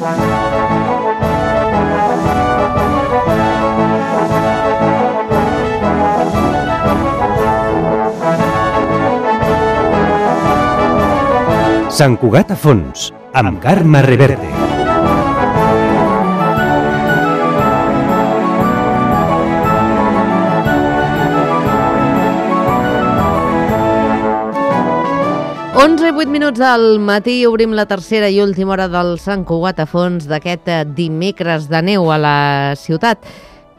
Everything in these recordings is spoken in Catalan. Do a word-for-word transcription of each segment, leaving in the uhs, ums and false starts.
Sant Cugat a fons, amb Carme Reverte. onze i vuit minuts del matí, obrim la tercera i última hora del Sant Cugat a fons d'aquest dimecres de neu a la ciutat.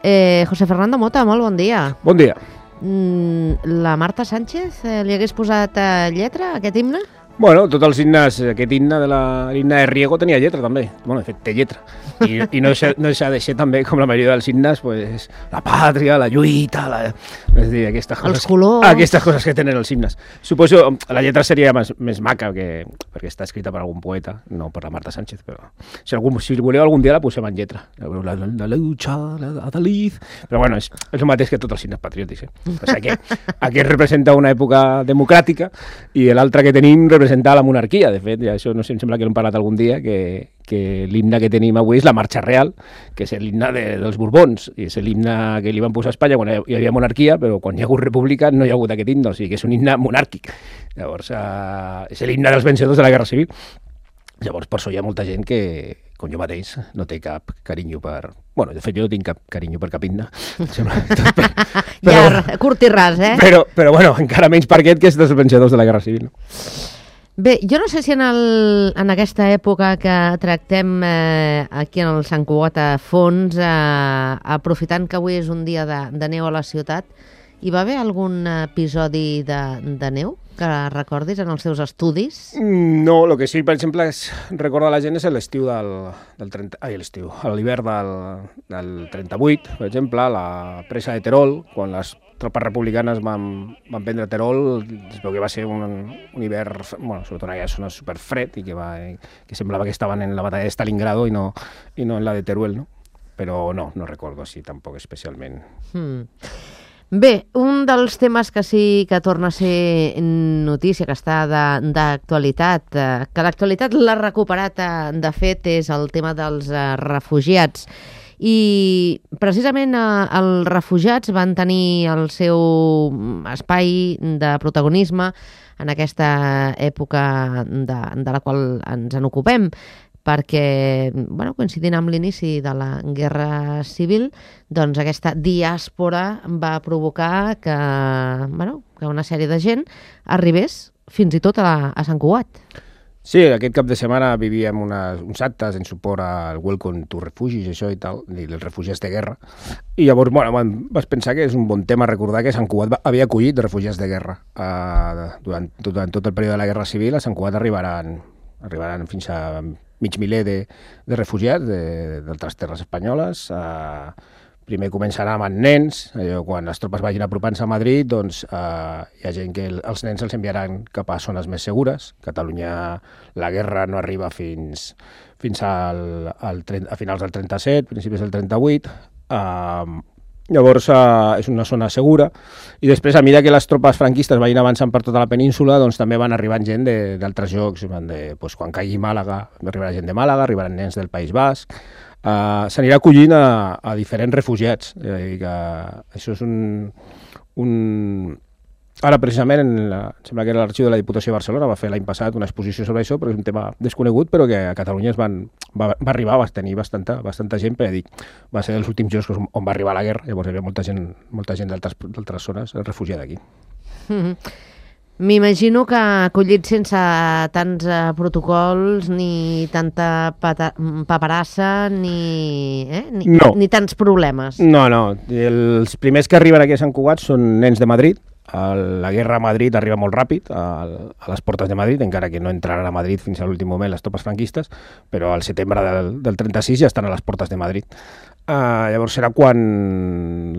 Eh, José Fernando Mota, molt bon dia. Bon dia. Mm, la Marta Sánchez eh, li hagués posat eh, lletra a aquest himne? Bueno, tots els himnes, aquest himne de l'himne de Riego tenia lletra també. Bueno, de fet, té lletra. I, i no, deixa, no deixa de ser també, com la majoria dels himnes, pues, la pàtria, la lluita, la, és dir, aquestes coses, els colors... Aquestes coses que tenen els himnes. Suposo la lletra seria més, més maca, que, perquè està escrita per algun poeta, no per la Marta Sánchez, però si, algun, si voleu algun dia la posem en lletra. La, la, la lucha, la adaliz... Però bueno, és, és el mateix que tots els himnes patriòtics. Eh? O sigui, aquest, aquest representa una època democràtica i l'altre que tenim representa la monarquia, de fet, i això no sé, em sembla que l'hem parlat algun dia, que, que l'himne que tenim avui és la Marxa Real, que és l'himne de, dels Borbons, i és l'himne que li van posar a Espanya quan hi havia monarquia, però quan hi ha hagut república no hi ha hagut aquest himne, o sigui que és un himne monàrquic. Llavors, eh, és l'himne dels vencedors de la Guerra Civil. Llavors, per això hi ha molta gent que, com jo mateix, no té cap carinyo per... Bueno, de fet, jo no tinc cap carinyo per cap himne. Sembla... però, ja, curt i ras, eh? Però, però, bueno, encara menys per aquest, que és dels vencedors de la Guerra Civil, no? Bé, jo no sé si en, el, en aquesta època que tractem eh, aquí en el Sant Cugat a fons, eh, aprofitant que avui és un dia de, de neu a la ciutat, hi va haver algun episodi de, de neu que recordis en els teus estudis? No, el que sí, per exemple, és recordar la gent és l'estiu del, del trenta... Ai, l'estiu, l'hivern del, del trenta-vuit, per exemple, la presa de Terol, quan les tropes republicanes van, van prendre Terol, es veu que va ser un, un hivern, bueno, sobretot en aquella zona superfred, i que, va, que semblava que estaven en la batalla de Stalingrado i no, i no en la de Teruel, no? Però no, no recordo així tampoc especialment. Hmm. Bé, un dels temes que sí que torna a ser notícia, que està d'actualitat, eh, que l'actualitat l'ha recuperat eh, de fet, és el tema dels eh, refugiats. I precisament eh, els refugiats van tenir el seu espai de protagonisme en aquesta època de, de la qual ens en ocupem, perquè, bueno, coincidint amb l'inici de la Guerra Civil, doncs aquesta diàspora va provocar que, bueno, que una sèrie de gent arribés fins i tot a, a Sant Cugat. Sí, aquest cap de setmana vivíem unes, uns actes en suport al Welcome to Refugees, això i tal, i els refugiats de guerra. I llavors, bueno, vas pensar que és un bon tema recordar que Sant Cugat havia acollit refugiats de guerra. Uh, durant, durant tot el període de la Guerra Civil, a Sant Cugat arribaran, arribaran fins a mig miler de, de refugiats d'altres terres espanyoles. Uh, primer començarà amb nens, allò, quan les tropes vagin apropant-se a Madrid, doncs uh, hi ha gent que el, els nens els enviaran cap a zones més segures. A Catalunya la guerra no arriba fins, fins al, al, a finals del trenta-set, principis del trenta-vuit. Uh, Llavors uh, és una zona segura, i després, a mesura que les tropes franquistes vagin avançant per tota la península, doncs també van arribant gent d'altres llocs. De, doncs, quan caigui Màlaga, arribarà gent de Màlaga, arribaran nens del País Basc. Uh, S'anirà acollint a, a diferents refugiats. Eh, que això és un... un... Ara, precisament, en la, sembla que l'Arxiu de la Diputació de Barcelona va fer l'any passat una exposició sobre això, però és un tema desconegut, però que a Catalunya es van, va, va arribar, va tenir bastanta, bastanta gent, perquè dic, va ser dels últims llocs on va arribar la guerra, llavors hi havia molta gent, molta gent d'altres zones refugiada aquí. Mm-hmm. M'imagino que acollit sense tants eh, protocols, ni tanta pata, paperassa, ni, eh? ni, no. ni tants problemes. No, no. Els primers que arriben aquí a Sant Cugat són nens de Madrid. La guerra a Madrid arriba molt ràpid, a les portes de Madrid, encara que no entraran a Madrid fins a l'últim moment les tropes franquistes, però al setembre del, del trenta-sis ja estan a les portes de Madrid. Uh, llavors serà quan,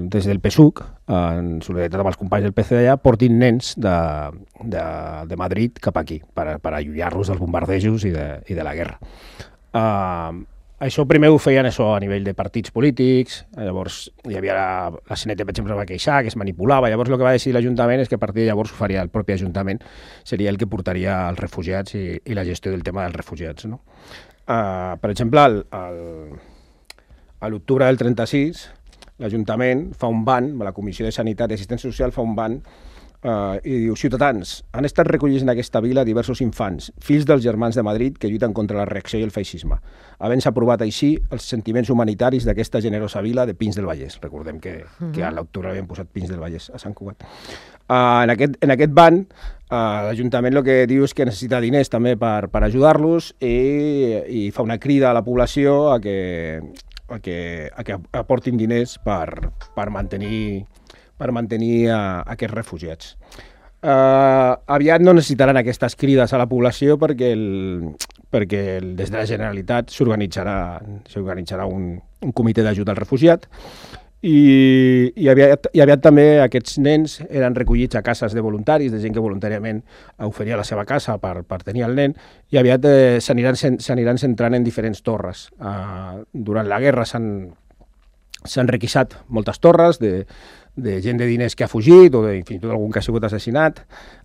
des del P S U C, uh, en solidaritat amb els companys del P C d'allà, portin nens de, de, de Madrid cap aquí, per, per allunyar-los dels bombardejos i de, i de la guerra. Uh, Això primer ho feien això a nivell de partits polítics, llavors hi havia la, la C N T, per exemple, va queixar, que es manipulava, llavors el que va decidir l'Ajuntament és que a partir de llavors ho faria el propi Ajuntament, seria el que portaria els refugiats i, i la gestió del tema dels refugiats, no? Uh, per exemple, el, el, a l'octubre del trenta-sis, l'Ajuntament fa un ban, la Comissió de Sanitat i Assistència Social fa un ban, Uh, i diu, ciutadans, han estat recollits en aquesta vila diversos infants, fills dels germans de Madrid que lluiten contra la reacció i el feixisme, havent-se aprovat així els sentiments humanitaris d'aquesta generosa vila de Pins del Vallès. Recordem que, uh-huh. que a l'octubre havien posat Pins del Vallès a Sant Cugat. Uh, en, aquest, en aquest ban, uh, l'Ajuntament el que diu és que necessita diners també per, per ajudar-los i, i fa una crida a la població a que, a que, a que aportin diners per, per mantenir per mantenir uh, aquests refugiats. Uh, aviat no necessitaran aquestes crides a la població perquè, el, perquè el, des de la Generalitat s'organitzarà s'organitzarà un, un comitè d'ajuda al refugiat i, i, aviat, i aviat també aquests nens eren recollits a cases de voluntaris, de gent que voluntàriament oferia la seva casa per, per tenir el nen, i aviat eh, s'aniran centrant en diferents torres. Uh, durant la guerra s'han s'han requisat moltes torres de, de gent de diners que ha fugit o de, fins i tot algun que ha sigut assassinat.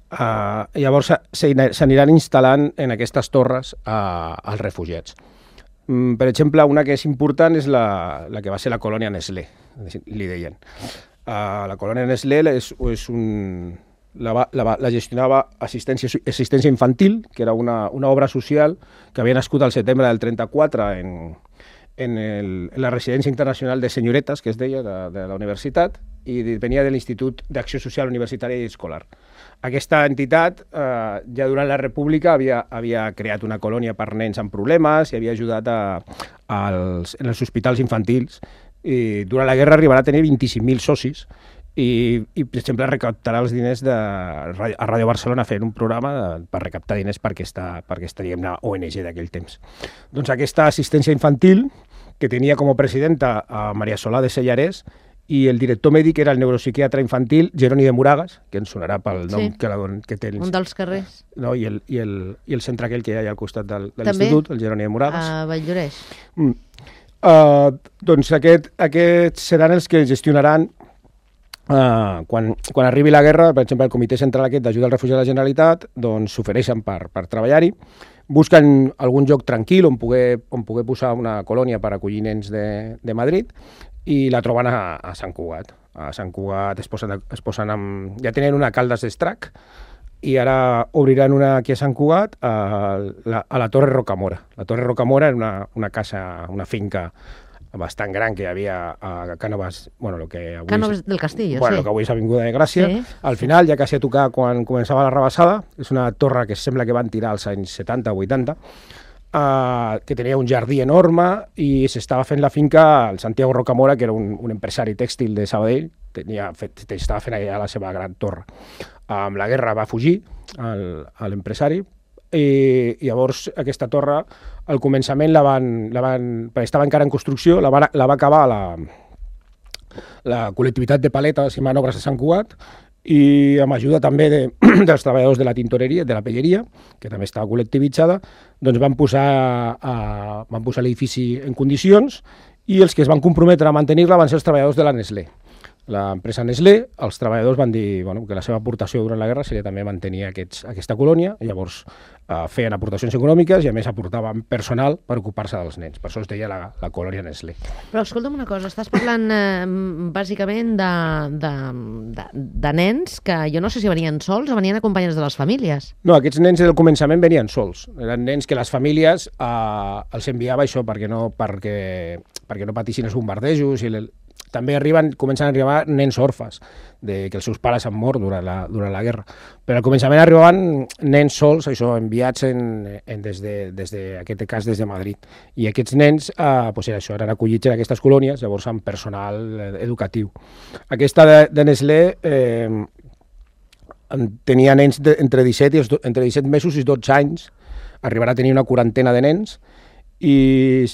Uh, llavors s'aniran instal·lant en aquestes torres uh, els refugiats. Um, per exemple, una que és important és la, la que va ser la colònia Nestlé, li deien. Uh, la colònia Nestlé és, és un... La, va, la, la gestionava assistència, assistència infantil, que era una, una obra social que havia nascut al setembre del trenta-quatre en... En, el, en la residència internacional de senyoretes, que es deia, de, de la universitat, i venia de l'Institut d'Acció Social Universitària i Escolar. Aquesta entitat, eh, ja durant la República, havia, havia creat una colònia per nens amb problemes i havia ajudat a, a els, en els hospitals infantils. I durant la guerra arribarà a tenir vint-i-cinc mil socis i, i, per exemple, recaptarà els diners de, a Ràdio Barcelona fent un programa de, per recaptar diners per aquesta, per aquesta diguem-ne, O N G d'aquell temps. Doncs aquesta assistència infantil, que tenia com a presidenta a Maria Solà de Sellarès, i el director mèdic era el neuropsiquiatre infantil Jeroni de Moragas, que ens sonarà pel nom sí. que, la, que té. Un dels carrers. No, i, el, i, el, I el centre aquell que hi ha al costat del, de l'institut, el Jeroni de Moragas. A Valldoreix. Mm. Uh, doncs aquest, aquests seran els que gestionaran Uh, quan, quan arribi la guerra, per exemple, el Comitè Central aquest d'ajuda al refugi de la Generalitat, doncs s'ofereixen per, per treballar-hi, busquen algun lloc tranquil on poder, on poder posar una colònia per acollir nens de, de Madrid i la troben a, a Sant Cugat. A Sant Cugat es posen, es posen amb... ja tenen una a Caldes d'Estrac i ara obriran una aquí a Sant Cugat a la, a la Torre Rocamora. La Torre Rocamora era una, una casa, una finca bastant gran que hi havia a Cànoves, bueno, lo que avui Cànoves del Castillo, bueno, sí. Lo que avui és Avinguda de Gràcia. Sí. Al final, ja quasi a tocar quan començava la rebassada, és una torre que sembla que van tirar als anys setanta o vuitanta, uh, que tenia un jardí enorme i s'estava fent la finca al Santiago Rocamora, que era un, un empresari tèxtil de Sabadell, tenia fet, estava fent allà la seva gran torre. Uh, amb la guerra va fugir l'empresari, i llavors aquesta torre al començament la van, la van perquè estava encara en construcció, la va, la va acabar la, la col·lectivitat de paletes i manobres de Sant Cugat i amb ajuda també de, dels treballadors de la tintoreria, de la pelleria, que també estava col·lectivitzada, doncs van posar, a, van posar l'edifici en condicions i els que es van comprometre a mantenir-la van ser els treballadors de la Nestlé. L'empresa Nestlé, els treballadors van dir bueno, que la seva aportació durant la guerra seria també mantenir aquests, aquesta colònia, i llavors eh, feien aportacions econòmiques i a més aportaven personal per ocupar-se dels nens. Per això es deia la, la colònia Nestlé. Però escolta'm una cosa, estàs parlant eh, bàsicament de, de, de, de nens que jo no sé si venien sols o venien acompanyats de les famílies. No, aquests nens del començament venien sols. Eren nens que les famílies eh, els enviava això perquè no, perquè, perquè no patissin els bombardejos i el, també arriben, comencen a arribar nens orfes, de, que els seus pares han mort durant la, durant la guerra. Però al començament arribaven nens sols, això, enviats en, en des, de, des de, aquest cas des de Madrid. I aquests nens eh, pues era això, eren acollits en aquestes colònies, llavors amb personal educatiu. Aquesta de, de Nestlé eh, tenia nens de, entre, disset i, entre disset mesos i dotze anys, arribarà a tenir una quarantena de nens, i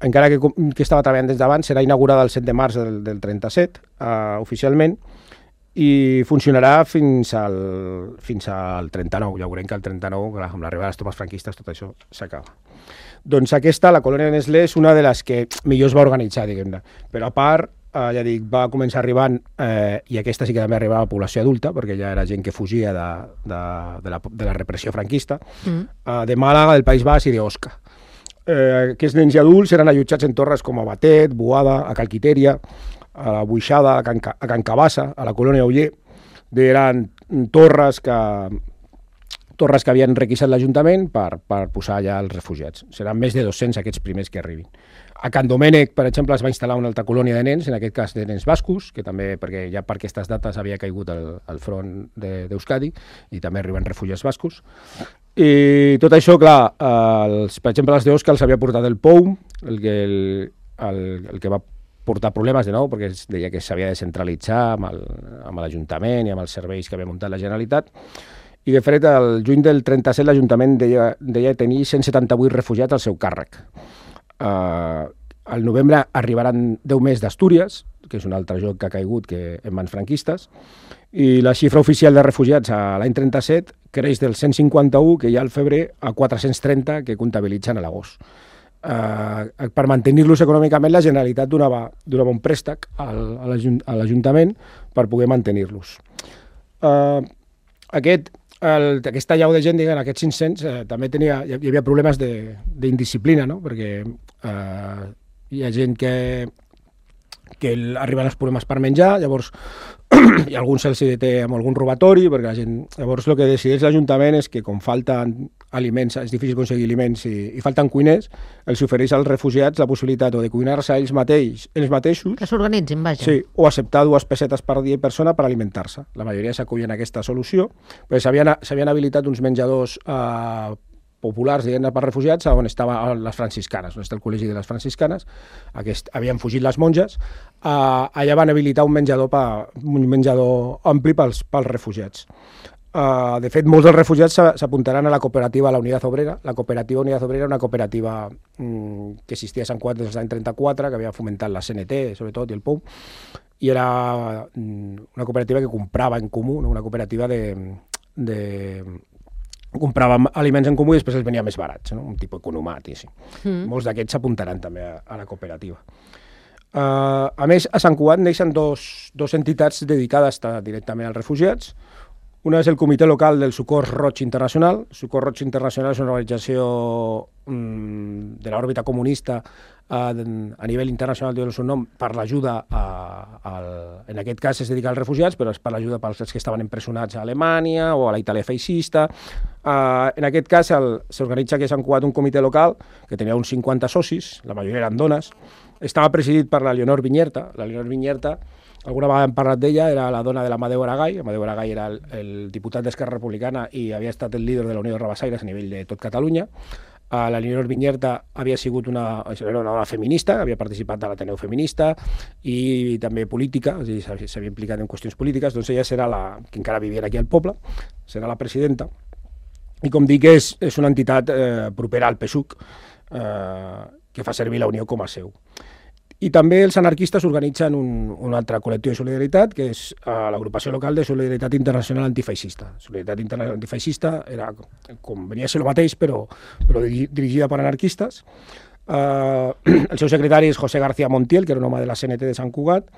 encara que, que estava treballant des d'abans, serà inaugurada el set de març del, del trenta-set, uh, oficialment, i funcionarà fins al, fins al trenta-nou. Ja veurem que el trenta-nou, amb l'arribada de les tropes franquistes, tot això s'acaba. Doncs aquesta, la colònia Nestlé, és una de les que millor es va organitzar, diguem-ne. Però a part, eh, ja dic, va començar arribant, eh, i aquesta sí que també arribava a població adulta, perquè ja era gent que fugia de, de, de, la, de la repressió franquista, mm. eh, de Màlaga, del País Basc i d'Osca. eh, aquests nens i adults eren allotjats en torres com a Batet, Boada, a Calquitèria, a la Buixada, a Can, a Can Cabassa, a la colònia Oller. Eren torres que, torres que havien requisat l'Ajuntament per, per posar allà els refugiats. Seran més de dos-cents aquests primers que arribin. A Can Domènec, per exemple, es va instal·lar una altra colònia de nens, en aquest cas de nens bascos, que també, perquè ja per aquestes dates havia caigut el, el front d'Euskadi, i també arriben refugiats bascos. I tot això, clar, els, per exemple, els d'Osca els havia portat el P O U, el que, el, el, el que va portar problemes de nou, perquè es deia que s'havia de centralitzar amb l'Ajuntament i amb els serveis que havia muntat la Generalitat. I, de fet, el juny del trenta-set l'Ajuntament deia, deia tenir cent setanta-vuit refugiats al seu càrrec. Uh, al novembre arribaran deu més d'Astúries, que és un altre joc que ha caigut que en mans franquistes, i la xifra oficial de refugiats a l'any trenta-set creix del cent cinquanta-u que hi ha al febrer a quatre-cents trenta que comptabilitzen a l'agost. Uh, per mantenir-los econòmicament, la Generalitat donava, donava un préstec al, a l'Ajuntament per poder mantenir-los. Uh, aquest El, aquesta llau de gent, diguem, aquests cinc-cents, eh, també tenia, hi havia problemes d'indisciplina, no? Perquè eh, hi ha gent que, que arriben els problemes per menjar, llavors i alguns se'ls deté amb algun robatori, perquè la gent... Llavors el que decideix l'Ajuntament és que com falten aliments, és difícil aconseguir aliments i, i falten cuiners, els ofereix als refugiats la possibilitat o de cuinar-se ells, mateix, ells mateixos... Que s'organitzin, vaja. Sí, o acceptar dues pessetes per dia i persona per alimentar-se. La majoria s'acullen a aquesta solució, perquè s'havien habilitat uns menjadors eh, populars, diguem, per refugiats, on estaven les franciscanes, on està el col·legi de les franciscanes, aquest, havien fugit les monges, eh, allà van habilitar un menjador, pa, un menjador ampli pels, pels refugiats. Uh, de fet, molts dels refugiats s'apuntaran a la cooperativa a la Unitat Obrera. La cooperativa Unitat Obrera era una cooperativa mm, que existia a Sant Cugat des dels anys trenta-quatre, que havia fomentat la C N T, sobretot, i el P O U, i era mm, una cooperativa que comprava en comú, no? Una cooperativa de... de comprava aliments en comú i després els venia més barats, no? Un tipus economat i així. Mm. Molts d'aquests s'apuntaran també a, a la cooperativa. Uh, a més, a Sant Cugat neixen dos, dos entitats dedicades directament als refugiats. Una és el Comitè Local del Socors Roig Internacional. Socors Roig Internacional és una organització mm, de l'òrbita comunista eh, a nivell internacional, diu el seu nom, per l'ajuda, en aquest cas es dedica als refugiats, però és per l'ajuda pels que estaven empresonats a Alemanya o a la Itàlia feixista. Eh, en aquest cas s'organitza aquí a Sant Cugat un comitè local que tenia uns cinquanta socis, la majoria eren dones. Estava presidit per la Leonor Vinyerta. La Leonor Vinyerta, alguna vegada hem parlat d'ella, era la dona de l'Amadeu Aragay. Amadeu Aragay era el, el diputat d'Esquerra Republicana i havia estat el líder de la Unió de Rabassaires a nivell de tot Catalunya. Uh, la Leonor Vinyerta havia sigut una, era una dona feminista, havia participat a l'Ateneu Feminista i també política, és a dir, s'havia implicat en qüestions polítiques, doncs ella serà la, que encara vivia aquí al poble, serà la presidenta. I com dic, és, és una entitat eh, propera al P S U C, eh, que fa servir la Unió com a seu. I també els anarquistes organitzen un, un altre col·lectiu de solidaritat, que és uh, l'agrupació local de Solidaritat Internacional Antifeixista. Solidaritat Internacional Antifeixista era, com venia a ser el mateix, però, però dirigida per anarquistes. Uh, el seu secretari és José García Montiel, que era un home de la C N T de Sant Cugat,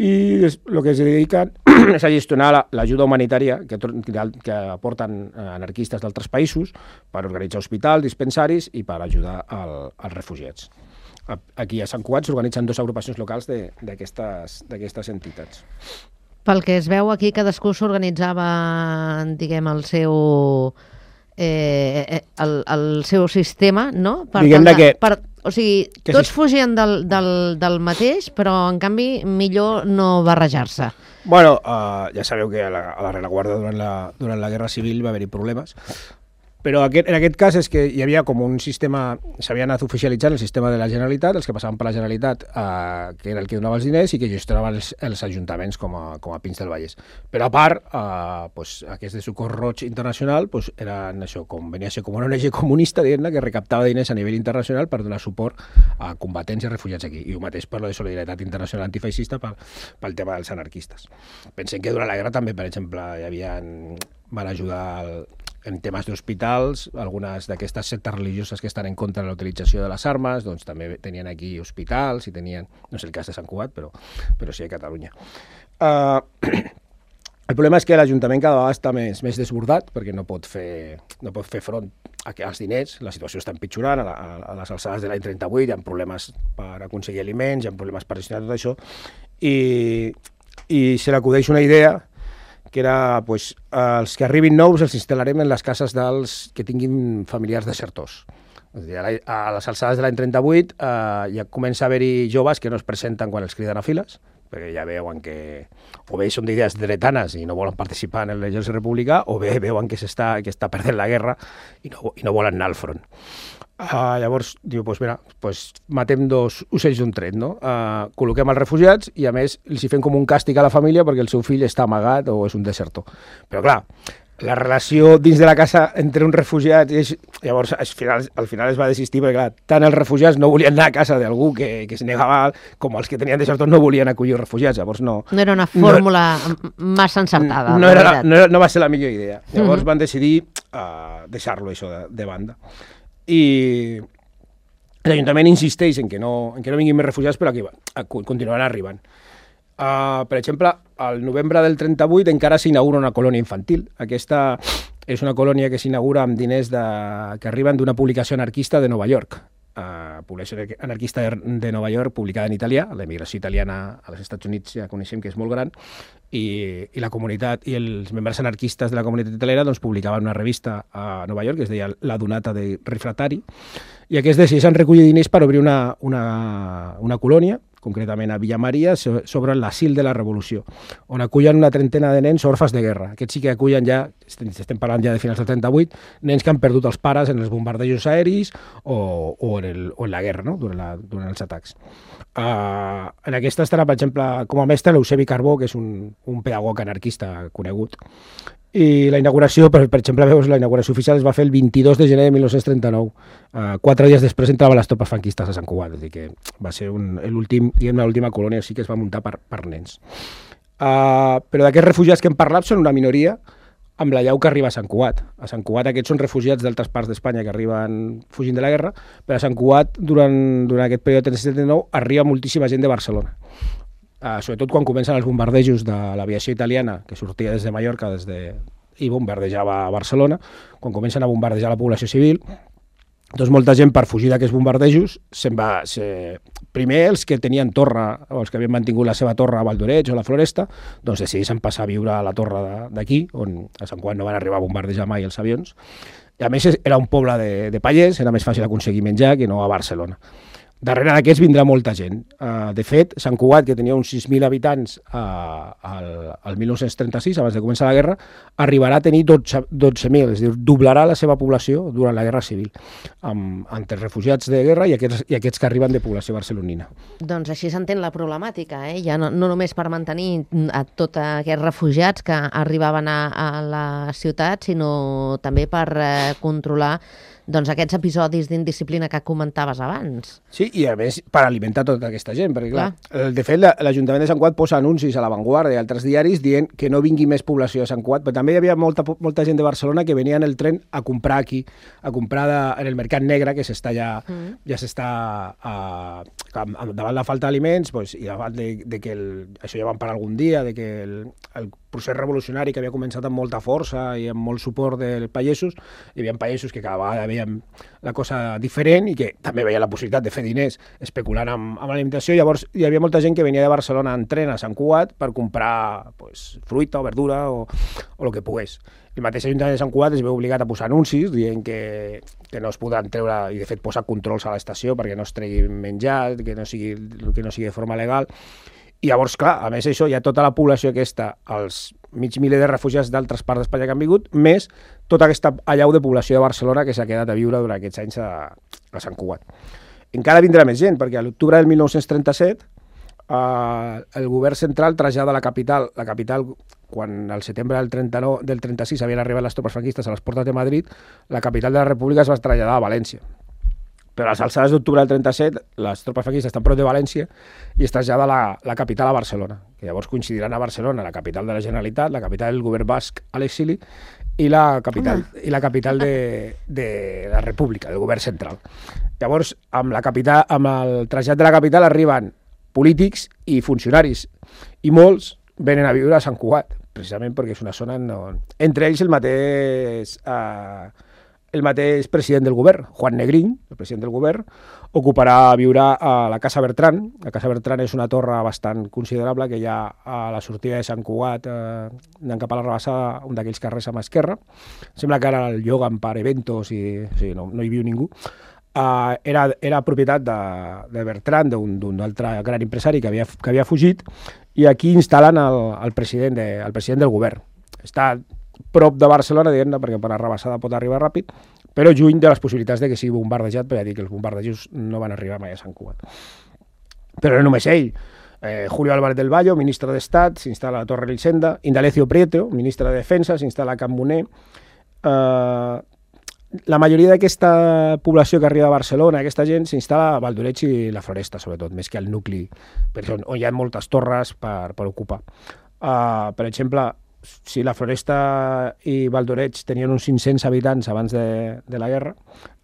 i el que es dediquen és a gestionar l'ajuda humanitària que, que aporten anarquistes d'altres països per organitzar hospitals, dispensaris i per ajudar al, als refugiats. Aquí a Sant Cugat s'organitzen dues agrupacions locals d'aquestes entitats. Pel que es veu aquí, cadascú s'organitzava, diguem, el seu... Eh, el, el seu sistema, no? Per Diguem-ne que... Per, o sigui, tots si... fugien del, del, del mateix, però en canvi millor no barrejar-se. Bueno, uh, ja sabeu que a la, a la rereguarda durant la, durant la Guerra Civil va haver-hi problemes, però aquest, en aquest cas és que hi havia com un sistema, s'havia anat oficialitzant el sistema de la Generalitat, els que passaven per la Generalitat, eh, que era el que donava els diners i que gestionaven els, els ajuntaments com a, com a Pins del Vallès. Però a part, eh, pues, aquest de Socors Roig Internacional pues, eren això, com venia a ser com una O N G comunista, diguem-ne, que recaptava diners a nivell internacional per donar suport a combatents i refugiats aquí. I el mateix per lo de Solidaritat Internacional Antifeixista pel, pel tema dels anarquistes. Pensem que durant la guerra també, per exemple, hi havia, van ajudar el, en temes d'hospitals, algunes d'aquestes sectes religioses que estan en contra de la utilització de les armes, doncs també tenien aquí hospitals i tenien, no sé el cas de Sant Cugat, però, però sí a Catalunya. Uh, El problema és que l'Ajuntament cada vegada està més, més desbordat perquè no pot fer, no pot fer front a que als diners, la situació està empitjorant, a, la, a les alçades de l'any trenta-vuit hi ha problemes per aconseguir aliments, hi ha problemes per gestionar tot això, i, i se l'acudeix una idea que era, pues, els que arribin nous els instal·larem en les cases dels que tinguin familiars desertors. És a dir, a, la, a les alçades de l'any trenta-vuit eh, ja comença a haver-hi joves que no es presenten quan els criden a files, perquè ja veuen que o bé són d'idees dretanes i no volen participar en l'exèrcit republicà, o bé veuen que s'està que està perdent la guerra i no, i no volen anar al front. Uh, llavors, diu, pues mira, pues matem dos ocells d'un tret, no? Uh, col·loquem els refugiats i, a més, els hi fem com un càstig a la família perquè el seu fill està amagat o és un desertor. Però, clar, la relació dins de la casa entre uns refugiats, és, llavors al final, al final es va desistir perquè clar, tant els refugiats no volien anar a casa d'algú que, que es negava, com els que tenien desertors no volien acollir refugiats, llavors no... No era una fórmula no, massa encertada. No, era, no, era, no va ser la millor idea. Llavors uh-huh. van decidir uh, deixar-lo això de, de banda. I l'Ajuntament insisteix en que no, en que no vinguin més refugiats, però aquí va, continuaran arribant. Uh, per exemple, al novembre del trenta-vuit encara s'inaugura una colònia infantil. Aquesta és una colònia que s'inaugura amb diners de, que arriben d'una publicació anarquista de Nova York. Uh, publicació anarquista de, de Nova York, publicada en italià. La immigració italiana als Estats Units ja coneixem que és molt gran, i, i la comunitat i els membres anarquistes de la comunitat italiana doncs, publicaven una revista a Nova York que es deia La Donata dei Rifrattari, i aquests decideixen recollir diners per obrir una, una, una colònia, concretament a Villa Maria, sobre l'asil de la Revolució, on acullen una trentena de nens orfes de guerra. Aquests sí que acullen ja, estem parlant ja de finals del trenta-vuit, nens que han perdut els pares en els bombardejos aeris o, o, en, el, o en la guerra, no? durant, la, durant els atacs. Uh, en aquesta estarà, per exemple, com a mestre l'Eusebi Carbó, que és un, un pedagog anarquista conegut. I la inauguració, per, per exemple, veus, la inauguració oficial es va fer el vint-i-dos de gener de mil nou-cents trenta-nou. Uh, quatre dies després entraven les tropes franquistes a Sant Cugat, és a dir que va ser un, l'últim, diguem, l'última colònia sí que es va muntar per, per nens. Uh, però d'aquests refugiats que hem parlat són una minoria amb la llau que arriba a Sant Cugat. A Sant Cugat aquests són refugiats d'altres parts d'Espanya que arriben fugint de la guerra, però a Sant Cugat, durant, durant aquest període de trenta-set trenta-nou, arriba moltíssima gent de Barcelona. Uh, sobretot quan comencen els bombardejos de l'aviació italiana, que sortia des de Mallorca des de... i bombardejava a Barcelona, quan comencen a bombardejar la població civil, doncs molta gent per fugir d'aquests bombardejos se'n va... Se... Primer els que tenien torre, o els que havien mantingut la seva torre a Valdoreig o a la Floresta, doncs decideixen passar a viure a la torre d'aquí, on a Sant Cugat no van arribar a bombardejar mai els avions. I a més era un poble de, de pallers, era més fàcil aconseguir menjar que no a Barcelona. Darrere d'aquests vindrà molta gent. Uh, de fet, Sant Cugat, que tenia uns sis mil habitants uh, al, al mil nou-cents trenta-sis, abans de començar la guerra, arribarà a tenir dotze mil, és a dir, doblarà la seva població durant la Guerra Civil, amb, entre refugiats de guerra i aquests, i aquests que arriben de població barcelonina. Doncs així s'entén la problemàtica, eh? Ja no, no només per mantenir a tots aquests refugiats que arribaven a, a la ciutat, sinó també per eh, controlar doncs, aquests episodis d'indisciplina que comentaves abans. Sí, i a més per alimentar tota aquesta gent, perquè clar, clar. de fet l'Ajuntament de Sant Cugat posa anuncis a La Vanguardia i altres diaris dient que no vingui més població a Sant Cugat, però també hi havia molta, molta gent de Barcelona que venia en el tren a comprar aquí, a comprar de, en el mercat negre, que s'està ja, mm. ja s'està uh, davant la falta d'aliments, pues, i davant de, de que el, això ja vam parlar algun dia, de que el, el procés revolucionari que havia començat amb molta força i amb molt suport dels pagesos, hi havia pagesos que cada vegada veien la cosa diferent i que també veien la possibilitat de fer diners especulant amb, amb l'alimentació. Llavors hi havia molta gent que venia de Barcelona en tren a Sant Cugat per comprar pues, fruita o verdura o, o el que pogués. El mateix Ajuntament de Sant Cugat es veu obligat a posar anuncis dient que, que no es podran treure, i de fet posar controls a l'estació perquè no es tregui menjar, que no sigui, que no sigui de forma legal. I llavors, clar, a més això, hi ha tota la població aquesta, els mig miler de refugiats d'altres parts d'Espanya que han vingut, més tota aquesta allau de població de Barcelona que s'ha quedat a viure durant aquests anys a, a Sant Cugat. Encara vindrà més gent, perquè a l'octubre del mil nou-cents trenta-set eh, el govern central trasllada la capital, la capital, quan al setembre del, trenta-nou, del trenta-sis havien arribat les tropes franquistes a les portes de Madrid, la capital de la República es va traslladar a València. Però a les alçades d'octubre del trenta-set, les tropes franquistes estan prop de València i es trasllada la, la capital a Barcelona, que llavors coincidiran a Barcelona, la capital de la Generalitat, la capital del govern basc a l'exili i la capital, uh. i la, capital de, de la República, del govern central. Llavors, amb, la capital, amb el trasllat de la capital arriben polítics i funcionaris, i molts venen a viure a Sant Cugat, precisament perquè és una zona... No... Entre ells el mateix, eh, el mateix president del govern, Juan Negrín, el president del govern, ocuparà, viurà a la Casa Bertran. La Casa Bertran és una torre bastant considerable que hi ha a la sortida de Sant Cugat, eh, anant cap a la Rabassada, un d'aquells carrers a mà esquerra. Sembla que ara el lloguen per eventos i o sigui, no, no hi viu ningú. Uh, era, era propietat de, de Bertran, d'un altre gran empresari que havia, que havia fugit, i aquí instal·len el, el, president de, el president del govern. Està prop de Barcelona, diguem-ne, perquè per la Rabassada pot arribar ràpid, però lluny de les possibilitats de que sigui bombardejat, perquè ja dic que els bombardejos no van arribar mai a Sant Cugat. Però no només ell. Eh, Julio Álvarez del Valle, ministre d'Estat, s'instal·la a Torre Elisenda. Indalecio Prieto, ministre de Defensa, s'instal·la a Can Moner. Eh, La majoria d'aquesta població que arriba a Barcelona, aquesta gent, s'instal·la a Valdoreig i la Floresta, sobretot, més que al nucli, on, on hi ha moltes torres per, per ocupar. Uh, per exemple, si la Floresta i Valdoreig tenien uns cinc-cents habitants abans de, de la guerra,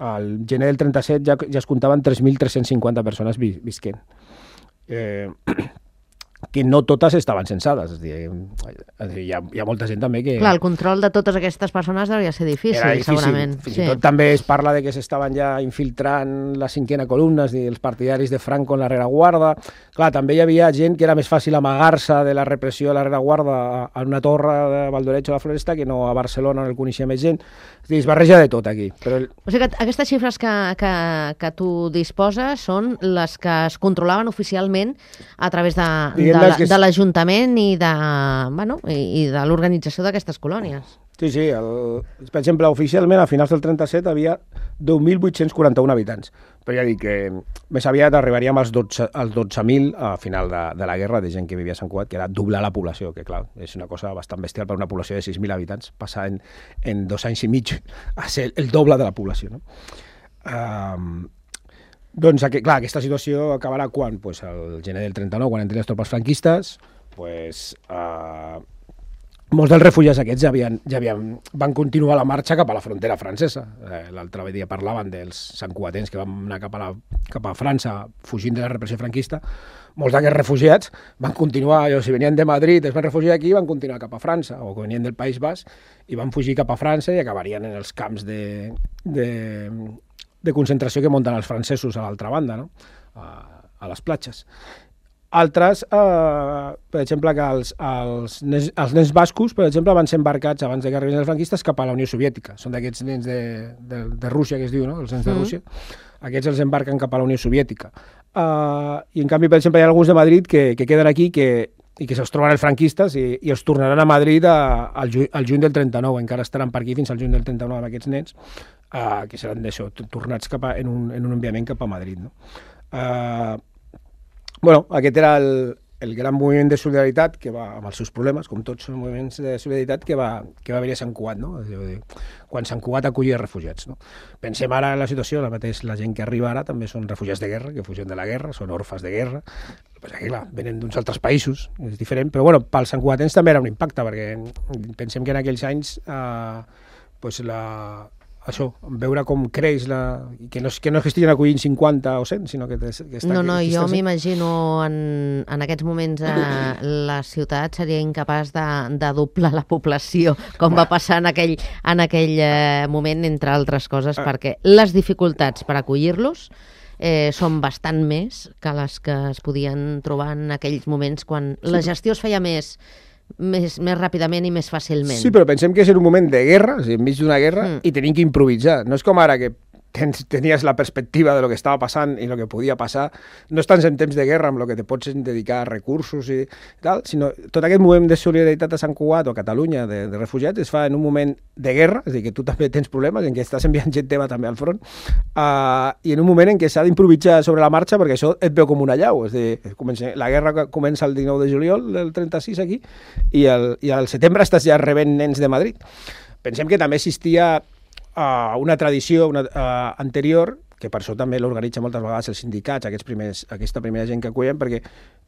al gener del trenta-set ja, ja es comptaven tres mil tres-cents cinquanta persones vi, visquent. Eh, que no totes estaven censades. És dir, hi ha, hi ha molta gent també que... Clar, el control de totes aquestes persones devia ser difícil, Era difícil. segurament. Fins i sí. tot també es parla de que s'estaven ja infiltrant la cinquena columna, és dir, els partidaris de Franco en la rereguarda. Clar, també hi havia gent que era més fàcil amagar-se de la repressió de la rereguarda en una torre de Valdoreig o la Floresta que no a Barcelona, on el coneixia més gent. És dir, es barreja de tot aquí. Però el... O sigui que aquestes xifres que, que, que tu disposes són les que es controlaven oficialment a través de, de, la, que... de l'Ajuntament i de, bueno, i, i de l'organització d'aquestes colònies. Sí, sí. El, per exemple, oficialment, a finals del trenta-set, havia deu mil vuit-cents quaranta-un habitants. Però ja dic que més aviat arribaríem als dotze mil a final de, de la guerra de gent que vivia a Sant Cugat, que era doblar la població, que clar, és una cosa bastant bestial per una població de sis mil habitants, passar en, en dos anys i mig a ser el doble de la població, no? Um, doncs, aqu clar, aquesta situació acabarà quan? Pues el gener del trenta-nou, quan entren les tropes franquistes, pues... Uh, molts dels refugiats aquests ja, havien, ja havien, van continuar la marxa cap a la frontera francesa. Eh, L'altre dia parlaven dels santcugatens que van anar cap a, la, cap a França fugint de la repressió franquista. Molts d'aquests refugiats van continuar, o si venien de Madrid, es van refugiar aquí, van continuar cap a França, o que venien del País Basc i van fugir cap a França i acabarien en els camps de, de, de concentració que munten els francesos a l'altra banda, no? a, a les platges. Altres, eh, per exemple, que els, els, nens, els nens bascos, per exemple, van ser embarcats abans de que arribin els franquistes cap a la Unió Soviètica. Són d'aquests nens de, de, de Rússia, que es diu, no? Els nens de Rússia. Mm. Aquests els embarquen cap a la Unió Soviètica. Uh, I, en canvi, per exemple, hi ha alguns de Madrid que, que queden aquí que, i que se'ls troben els franquistes i, i els tornaran a Madrid a, al, ju, al juny del trenta-nou. Encara estaran per aquí fins al juny del trenta-nou amb aquests nens, uh, que seran d'això, tornats cap a, en, un, en un enviament cap a Madrid. No? Uh, Bueno, aquest era el, el gran moviment de solidaritat que va, amb els seus problemes, com tots els moviments de solidaritat, que va, que va haver a Sant Cugat, no? Quan Sant Cugat acollia refugiats. No? Pensem ara en la situació, la mateix la gent que arriba ara també són refugiats de guerra, que fugen de la guerra, són orfes de guerra. Pues aquí, clar, venen d'uns altres països, és diferent, però bueno, pels santcugatens també era un impacte, perquè pensem que en aquells anys eh, pues la... això, veure com creix la... que no, que no es que estiguin acollint cinquanta o cent, sinó que, que està... No, no, que jo m'imagino en, en aquests moments eh, la ciutat seria incapaç de, de doblar la població, com va passar en aquell, en aquell eh, moment, entre altres coses, perquè les dificultats per acollir-los eh, són bastant més que les que es podien trobar en aquells moments quan la gestió es feia més... Més, més ràpidament i més fàcilment. Sí, però pensem que és en un moment de guerra, o sigui, enmig d'una guerra, mm. i tenim que improvisar. No és com ara que tens, tenies la perspectiva de lo que estava passant i lo que podia passar. No estàs en temps de guerra amb lo que te pots dedicar a recursos i tal, sinó tot aquest moviment de solidaritat a Sant Cugat o a Catalunya de, de refugiats es fa en un moment de guerra, és a dir, que tu també tens problemes, en què estàs enviant gent teva també al front, uh, i en un moment en què s'ha d'improvisar sobre la marxa perquè això et veu com una llau. És a dir, comença, la guerra comença el dinou de juliol del trenta-sis aquí i, el, i al setembre estàs ja rebent nens de Madrid. Pensem que també existia Uh, una tradició una, uh, anterior, que per això també l'organitza moltes vegades els sindicats, aquests primers, aquesta primera gent que acullen, perquè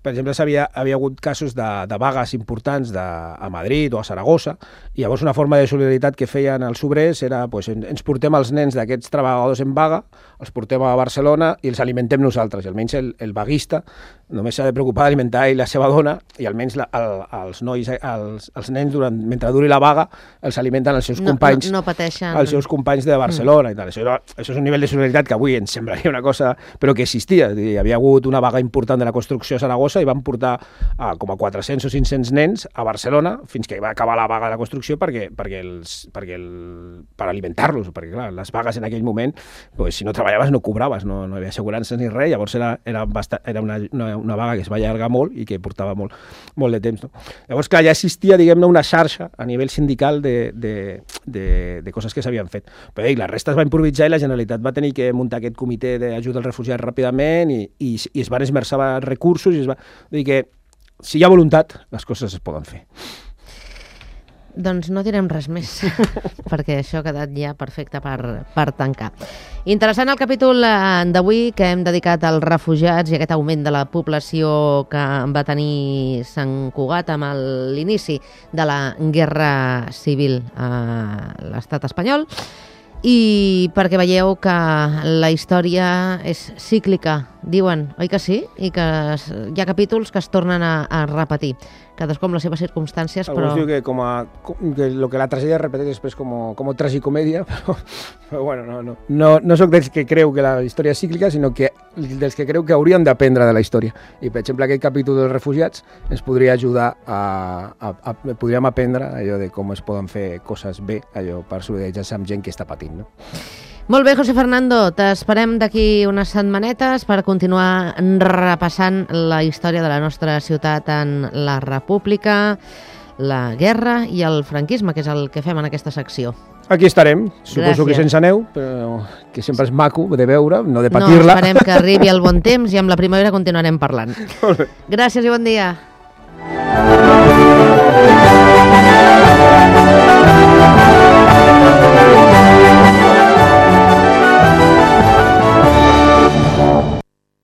per exemple, havia, havia hagut casos de, de vagues importants de, a Madrid o a Saragossa, i llavors una forma de solidaritat que feien els obrers era, pues, ens portem els nens d'aquests treballadors en vaga, els portem a Barcelona i els alimentem nosaltres, i almenys el, el vaguista només s'ha de preocupar d'alimentar ell la seva dona, i almenys la, el, els nois, els, els nens, durant, mentre duri la vaga, els alimenten els seus no, companys, no, no pateixen... els seus companys de Barcelona, mm. i tal. Això, era, això és un nivell de solidaritat que avui ens semblaria una cosa, però que existia. Hi havia hagut una vaga important de la construcció a Saragossa i van portar a, com a quatre-cents o cinc-cents nens a Barcelona fins que va acabar la vaga de la construcció perquè, perquè els, perquè el, per alimentar-los, perquè clar, les vagues en aquell moment, pues, si no treballaves no cobraves, no, no hi havia assegurances ni res, llavors era, era, bastant, era una, una, una vaga que es va allargar molt i que portava molt, molt de temps. No? Llavors, clar, ja existia, diguem-ne, una xarxa a nivell sindical de, de, de, de coses que s'havien fet. Però ei, la resta es va improvisar i la Generalitat va tenir que muntar aquest comitè d'ajuda als refugiats ràpidament i, i, i es van esmerçar recursos i es va... Vull dir que si hi ha voluntat, les coses es poden fer. Doncs no direm res més, perquè això ha quedat ja perfecte per, per tancar. Interessant el capítol d'avui que hem dedicat als refugiats i aquest augment de la població que va tenir Sant Cugat amb l'inici de la Guerra Civil a l'estat espanyol, i perquè veieu que la història és cíclica, diuen, oi que sí? I que hi ha capítols que es tornen a, a repetir, cadascú amb les seves circumstàncies, però... Algú diu que, com a, que lo que la tragèdia es repeteix després com, com tragicomèdia, però, però bueno, no, no. No, no soc dels que creu que la història és cíclica, sinó que dels que creu que haurien d'aprendre de la història. I, per exemple, aquest capítol dels refugiats ens podria ajudar a, a, a... podríem aprendre allò de com es poden fer coses bé, allò per solidaritzar-se amb gent que està patint, no? Molt bé, José Fernando, t'esperem d'aquí unes setmanetes per continuar repassant la història de la nostra ciutat en la República, la guerra i el franquisme, que és el que fem en aquesta secció. Aquí estarem, suposo Gràcies. que sense neu, però que sempre és maco de veure, no de patir-la. No, esperem que arribi el bon temps i amb la primavera continuarem parlant. Gràcies i bon dia.